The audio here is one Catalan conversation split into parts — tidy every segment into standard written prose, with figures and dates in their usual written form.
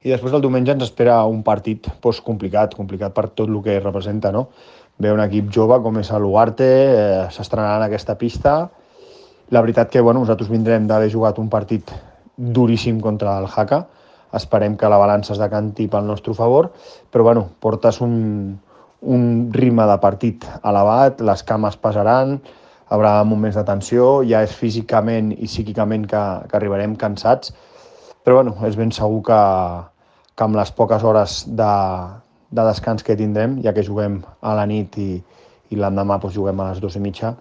I després el diumenge ens espera un partit complicat per tot el que representa, no? Ve un equip jove com és l'Ugarte, s'estrenarà en aquesta pista. La veritat que nosaltres vindrem d'haver jugat un partit duríssim contra el Jaca. Esperem que la balança es decanti pel nostre favor, però portes un ritme de partit elevat, les cames pesaran, hi haurà moments de tensió, ja és físicament i psíquicament que arribarem cansats, però és ben segur que amb les poques hores de descans que tindrem, ja que juguem a la nit i l'endemà juguem a les 2:30,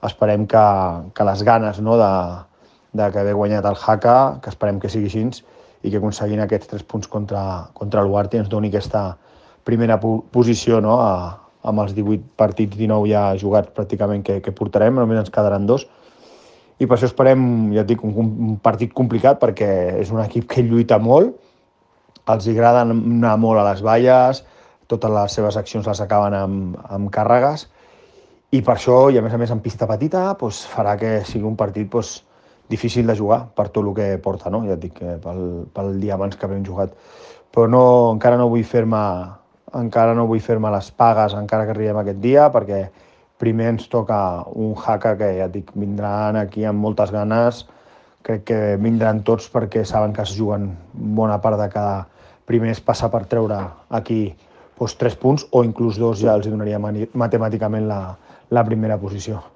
esperem que les ganes de que haver guanyat el Jaca, que esperem que sigui així, i que aconseguint aquests 3 punts contra l'Ugarte ens doni aquesta primera posició, no? Amb els 18 partits, 19 ja jugats pràcticament que portarem, només ens quedaran 2. I per això esperem, ja et dic, un partit complicat, perquè és un equip que lluita molt, els agrada anar molt a les valles, totes les seves accions les acaben amb càrregues, i per això, i a més en pista petita, farà que sigui un partit difícil de jugar per tot el que porta, no? Ja et dic, pel dia abans que havíem jugat. Però encara no vull fer-me les pagues encara que arribem aquest dia, perquè primer ens toca un Jaca que, ja et dic, vindran aquí amb moltes ganes, crec que vindran tots perquè saben que es juguen bona part de cada primer és passar per treure aquí 3 punts, o inclús 2 ja els donaria matemàticament la primera posició.